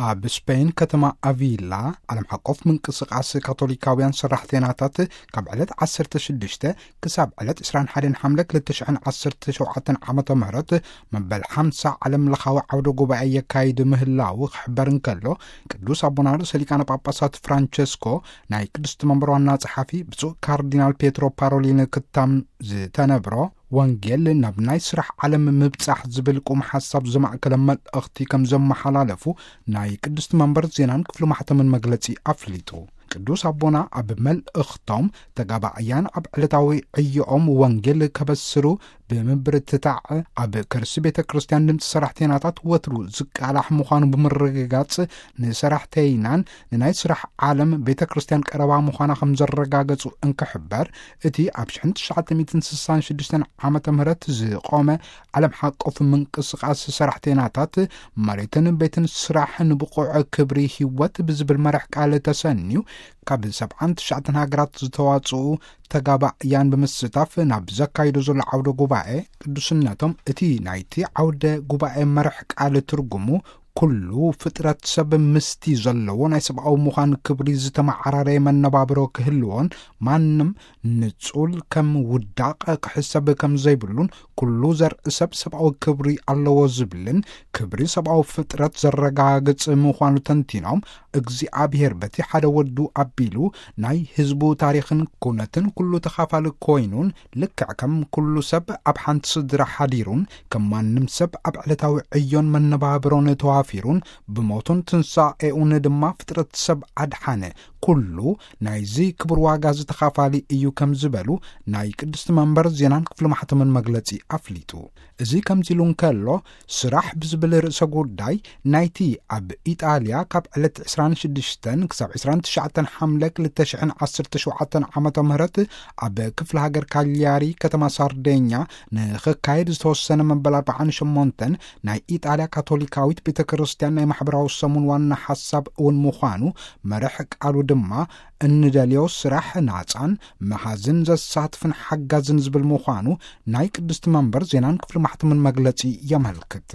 ኣብ ስፔን ከተማ ኣቪላ ዓለም ሓቆፍ ምንቅስቃስ ካቶሊካውያን ሰራሕተይናታት ካብ ዕለት ዓሰርተ ሽዱሽተ ክሳብ ዕለት ዕስራን ሓደን ሓምለ ክልተ ሽሕን ዓሰርተ ሸውዓተን ዓመተ ምህረት መበል ሓምሳ ዓለም ለኻዊ ዓውደ ጉባኤ የካይድ ምህላው ክሕበር እንከሎ፣ ቅዱስ ኣቦና ርእሰ ሊቃነ ጳጳሳት ፍራንቸስኮ ናይ ቅድስቲ መንበር ዋና ጸሓፊ ብፁዕ ካርዲናል ፔትሮ ፓሮሊን ክታም ዝተነብሮ ወንጌል ናብ ናይ ስራሕ ዓለም ምብጻሕ ዝብል ቁም ሓሳብ ዘማእከለ መልእኽቲ ከም ዘመሓላለፉ ናይ ቅድስቲ መንበር ዜናን ክፍሊ ማሕተምን መግለጺ ኣፍሊጡ። ቅዱስ ኣቦና ኣብ መልእኽቶም ተጋባእያን ኣብ ዕለታዊ ዕዮኦም ወንጌል ከበስሩ ብምብርትታዕ ኣብ ከርሲ ቤተ ክርስቲያን ድምፂ ሰራሕተይናታት ወትሩ ዝቃላሕ ምዃኑ ብምርግጋጽ ንሰራሕተይናን ንናይ ስራሕ ዓለም ቤተ ክርስቲያን ቀረባ ምዃና ከም ዘረጋገጹ እንክሕበር እቲ ኣብ ሽሕን ትሽዓተ ሚእትን ስሳን ሽዱሽተን ዓመተ ምህረት ዝቆመ ዓለም ሓቆፍ ምንቅስቃስ ሰራሕተይናታት መሬትን ቤትን ስራሕ ንብቑዕ ክብሪ ህይወት ብዝብል መራሕ ቃል ተሰንዩ ካብ ሰብዓን ትሽዓተን ሃገራት ዝተዋጽኡ ተጋባእያን ብምስታፍ ናብ ዘካይዶ ዘሎ ዓውደ ጉባኤ ቅዱስነቶም እቲ ናይቲ ዓውደ ጉባኤ መራሕ ቃል ትርጉሙ ኩሉ ፍጥረት ሰብ ምስቲ ዘለዎ ናይ ሰብኣዊ ምዃን ክብሪ ዝተመዓራረየ መነባብሮ ክህልዎን ማንም ንጹል ከም ውዳቕ ክሕሰብ ከም ዘይብሉን ኩሉ ዘርኢ ሰብ ሰብኣዊ ክብሪ ኣለዎ ዝብልን ክብሪ ሰብኣዊ ፍጥረት ዘረጋግጽ ምዃኑ ተንቲኖም፣ እግዚኣብሔር በቲ ሓደ ወዱ ኣቢሉ ናይ ህዝቡ ታሪኽን ኩነትን ኩሉ ተኻፋሊ ኮይኑን ልክዕ ከም ኩሉ ሰብ ኣብ ሓንቲ ስድራ ሓዲሩን ከም ማንም ሰብ ኣብ ዕለታዊ ዕዮን መነባብሮን ተዋፊሩን ብሞቱን ትንሳኤኡን ድማ ፍጥረት ሰብ ኣድሓነ። ኩሉ ናይዚ ክቡር ዋጋ ዝተኻፋሊ እዩ ከም ዝበሉ ናይ ቅድስቲ መንበር ዜናን ክፍሊ ማሕተምን መግለጺ ኣፍሊጡ። እዚ ከምዚ ኢሉ እንከሎ፣ ስራሕ ብዝብል ርእሰ ጉዳይ ናይቲ ኣብ ኢጣልያ ካብ ዕለት ዕስራን ሽዱሽተን ክሳብ ዕስራን ትሽዓተን ሓምለ ክልተ ሽሕን ዓሰርተ ሸውዓተን ዓመተ ምህረት ኣብ ክፍለ ሃገር ካልያሪ ከተማ ሳርዴኛ ንኽካየድ ዝተወሰነ መበል ኣርብዓን ሸሞንተን ናይ ኢጣልያ ካቶሊካዊት ቤተ ክርስቲያን ናይ ማሕበራዊ ሰሙን ዋና ሓሳብ እውን ምዃኑ፣ መርሕ ቃሉ ድማ እንደልዮ ስራሕ ናጻን መሃዝን ዘሳትፍን ሓጋዝን ዝብል ምዃኑ ናይ ቅድስቲ መንበር ዜናን ክፍሊ ማሕተምን መግለጺ የመልክት።